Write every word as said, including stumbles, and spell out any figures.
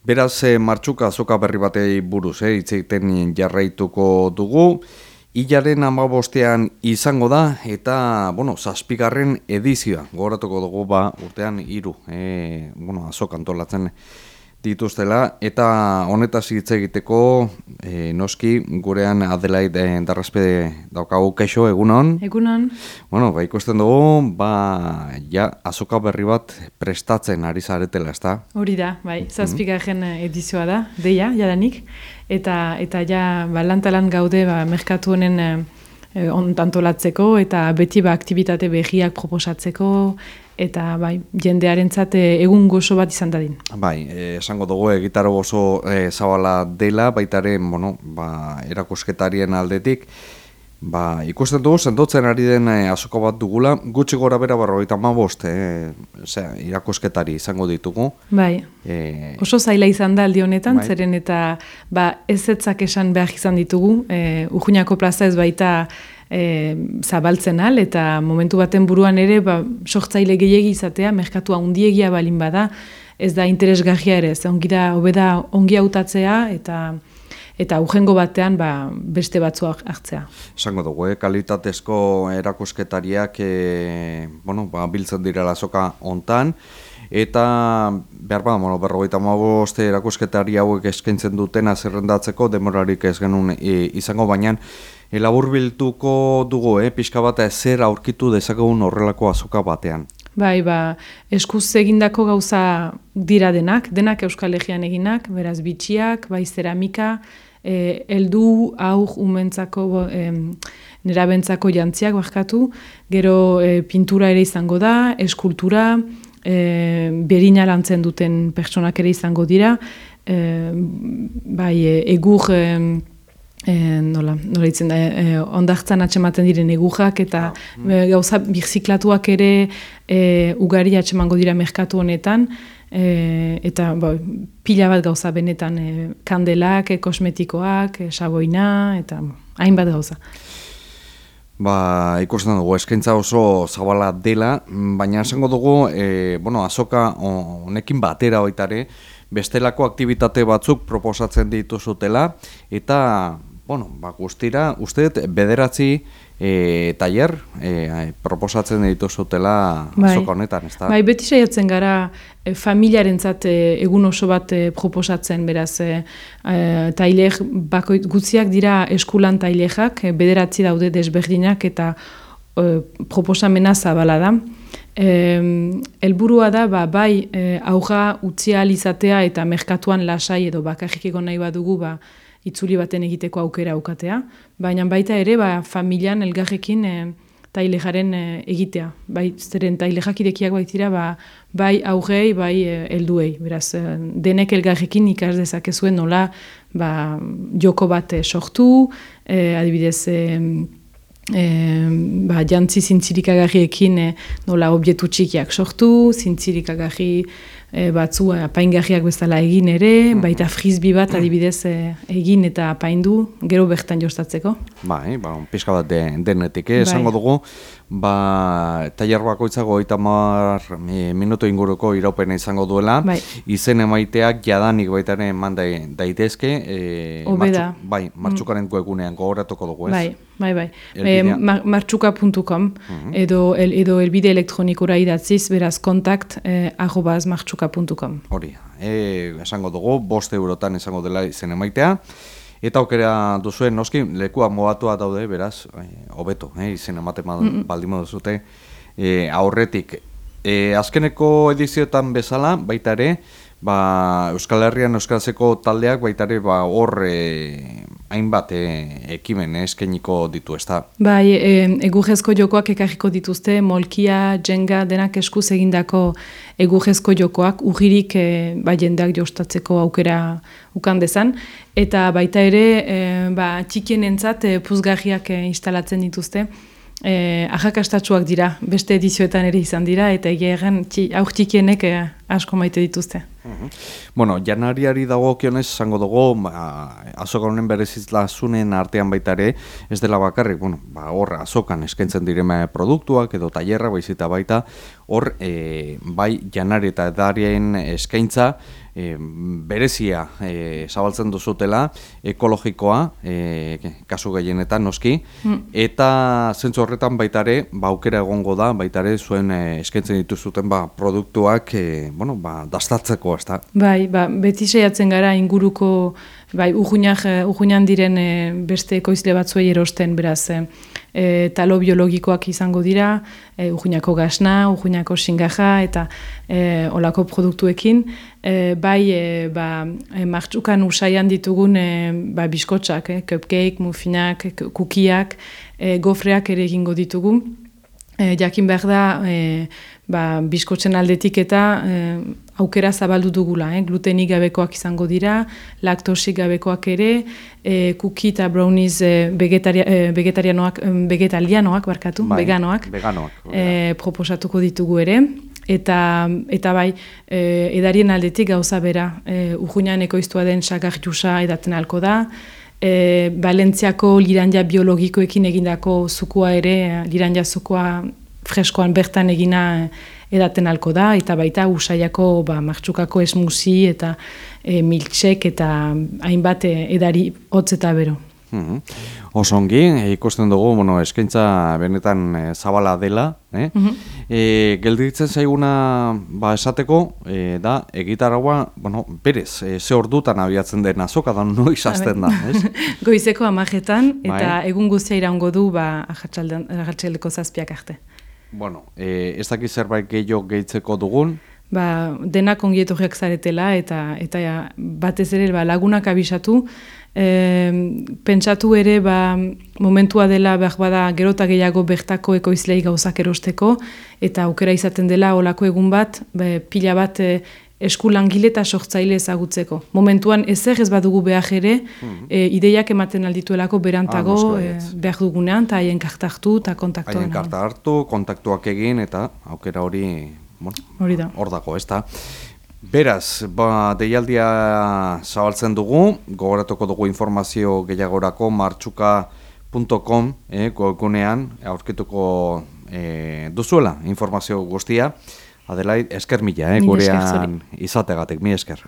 Beraz, eh, martxuka azoka berri batei buruz, eh, hitz egiten jarraituko dugu. Hilaren hamabostean izango da, eta, bueno, zazpigarren edizioa. Gogoratuko dugu, ba, urtean hiru, eh, bueno, azoka antolatzen dituztela, eta honetaz hitz egiteko, eh, noski, gurean Adelaid eh, Darrazpe daukagu. Kaixo, egunon? Egunon. Bueno, ba, ikusten dugu, ba, ja, azoka berri bat prestatzen ari zaretela, ezta? Hori da, bai, zazpigarren edizioa da, deia, jadanik, eta eta ja, ba, lantalan gaude, ba, merkatu honen eh, ontantolatzeko, eta beti ba, aktibitate berriak proposatzeko, eta bai, jendearentzat eh, egun gozo bat izan dadin. Bai, eh, esango dugu egitaro oso eh, zabala dela, baitaren, bueno, ba, erakusketarien aldetik, ba, ikusten dugu, sendotzen ari den eh, azoko bat dugula, gutxi gora bera berrogeita hamabost, eh, osea, irakusketari izango ditugu. Bai, Eh, oso zaila izan da aldi honetan, bai. zeren eta ba, ez etzak esan behar izan ditugu, eh, Urruñako plaza ez baita E, zabaltzen al, eta momentu baten buruan ere ba, sortzaile gehiegi izatea, merkatua undiegia balin bada, ez da interesgarria ere, ez ongi da, hobeda ongi hautatzea, eta eta urrengo batean ba, beste batzuak hartzea. Esango dugu, eh, kalitatezko erakusketariak eh, bueno, ba, biltzen direla azoka hontan, eta behar ba, bueno, berrogeita hamabost erakusketari hauek eskaintzen dutena zerrendatzeko demorarik ez genuen e, izango, baina elaburbiltuko dugu, eh, pixka bat zer aurkitu dezakegun horrelako azoka batean. Bai, ba, eskuz egindako gauza dira denak, denak Euskal Herrian eginak, beraz bitxiak, bai zeramika, eh, heldu, aur, umentzako, eh, nerabentzako jantziak barkatu, gero eh, pintura ere izango da, eskultura, eh, berina lantzen duten pertsonak ere izango dira, eh, bai, eh, egur... Eh, E, nola, nola ditzen da, e, ondartzan atxematen diren egujak, eta e, gauza birziklatuak ere e, ugari atxemango dira merkatu honetan, e, eta ba, pila bat gauza benetan, e, kandelak, e, kosmetikoak, e, saboina, eta hainbat gauza. Ba, ikusten dugu, eskaintza oso zabala dela, baina esango dugu, e, bueno, azoka honekin batera baitare, bestelako aktibitate batzuk proposatzen dituzutela, eta bueno, ba, guztira, uste dut, bederatzi e, tailer e, proposatzen dituzutela azoka honetan, ez da? Bai, beti saiatzen gara e, familiarentzat e, egun oso bat e, proposatzen, beraz, e, e, tailer bakoit gutziak dira eskulan tailerak, e, bederatzi daude desberdinak eta e, proposamena zabala da. Helburua da, ba, bai, e, aurra utzi ahal izatea eta merkatuan lasai edo bakarrik egon nahi badugu, ba, itzuli baten egiteko aukera aukatea, baina baita ere ba, familian elgarrekin e, tailejaren e, egitea. Bai, zeren tailejak irekiak baitira ba, bai aurrei, bai e, helduei. Beraz, e, denek elgarrekin ikas dezakezuen nola ba, joko bat e, sortu, e, adibidez, e, e, ba, jantzi zintzirikagarriekin e, nola objektu txikiak sortu, zintzirikagarri E, batzu apaingarriak bezala egin ere, baita frisbee bat adibidez e, egin eta apaindu, gero bertan jostatzeko. Bai, ba, pixka bat de, denetik, eh? Esango dugu, ba, tailer bakoitzago hogeita hamar minutu inguruko iraupena izango duela, bai. Izen emaiteak jadanik baita ere eman daitezke, e, martxu, bai, martxukaren mm. egunean gogoratuko dugu, ez? Bai. Bai, bai. E, martxuka puntu com uh-huh. edo, el, edo elbide elektronikora idatziz, beraz kontakt eh, arrobaz martxuka puntu com. Hori, e, esango dugu, bost eurotan esango dela izen emaitea, eta aukera duzuen, noski, lekua mobatua daude, beraz, hobeto, eh, izen ematen mm-hmm. baldin duzute, e, aurretik. E, azkeneko edizioetan bezala, baita ere, ba, Euskal Herrian euskarazeko taldeak baita ere ba, hor e, hainbat e, ekimen eskainiko ditu, ez da? Bai, e, egurrezko jokoak ekarriko dituzte, molkia, jenga, denak eskuz egindako egurrezko jokoak, urririk e, ba, jendeak jostatzeko aukera ukan dezan, eta baita ere, e, ba, txikienentzat e, puzgarriak e, instalatzen dituzte, Eh, ahakastatsuak dira, beste edizioetan ere izan dira, eta egia egen aur txikienek eh, asko maite dituzte. Uh-huh. Bueno, janariari dagokionez esango dugu, ba, azoka honen berezitasunen artean baita ere, ez dela bakarrik, bueno, ba, hor azokan eskaintzen direma produktuak edo tailerra baizita baita, hor e, bai janari eta edarien eskaintza e, berezia e, zabaltzen duzutela, ekologikoa, e, kasu gehienetan noski, mm. eta zentzu horretan baitare, ba, aukera egongo da, baitare zuen e, eskaintzen dituzuten ba, produktuak e, bueno, ba, dastatzeko, ez da? Bai, ba, beti saiatzen gara inguruko, bai, ujuinan diren e, beste ekoizle batzuei erosten, beraz, e, e, talo biologikoak izango dira, e, ujuinako gasna, ujuinako singaja, eta e, olako produktuekin, e, bai, e, ba, e, martxukan usaian ditugun e, ba, biskotxak, e, cupcake, muffinak, kukiak, e, gofreak ere egingo ditugu. E, jakin behar da, e, ba, biskotzen aldetik eta e, aukera zabaldu dugula, eh? Glutenik gabekoak izango dira, laktosik gabekoak ere, e, kuki eta brownies e, vegetaria, e, vegetarianoak, vegetalianoak, barkatu, bai, veganoak, veganoak e, proposatuko ditugu ere, eta, eta bai, e, edarien aldetik gauza bera, e, ujuinan ekoiztua den sagar jusa edaten alko da, E, Valentziako liranja biologikoekin egindako zukua ere, liranja zukua freskoan bertan egina edaten alko da, eta baita usaiako ba, martxukako esmusi eta e, milksek eta hainbat edari hotz eta bero. Mm-hmm. Osongi, ikusten dugu, bueno, eskaintza benetan e, zabala dela, eh? Mm-hmm. e, gelditzen zaiguna ba, esateko, e, da, egitaragua, bueno, berez, e, ze ordutan abiatzen den azoka, da noiz hasten da, ez? Goizeko amajetan, eta bai. Egun guztia iraungo du, ba, ahatsaldeko zazpiak arte. Bueno, e, ez dakit zerbait gehiago gehitzeko dugun? Ba, denak ongietorriak zaretela, eta, eta ja, batez ere ba, lagunak abisatu, e, pentsatu ere ba, momentua dela behar bada gerota gehiago bertako ekoizlei gauzak erosteko, eta aukera izaten dela olako egun bat, be, pila bat e, esku langile eta sortzaile ezagutzeko. Momentuan ezer ez badugu behar ere, mm-hmm. e, ideiak ematen aldituelako berantago ah, e, behar dugunean, eta haien karta hartu eta kontaktuan. Haien karta hartu, kontaktuak egin, eta aukera hori bueno, hor dago, ez da. Beraz, ba, deialdia zabaltzen dugu, gogoratuko dugu informazio gehiagorako martxuka puntu com eh, webgunean aurkituko eh, duzuela informazio guztia. Adelaid, esker mila, eh, gurean izategatik, mi esker.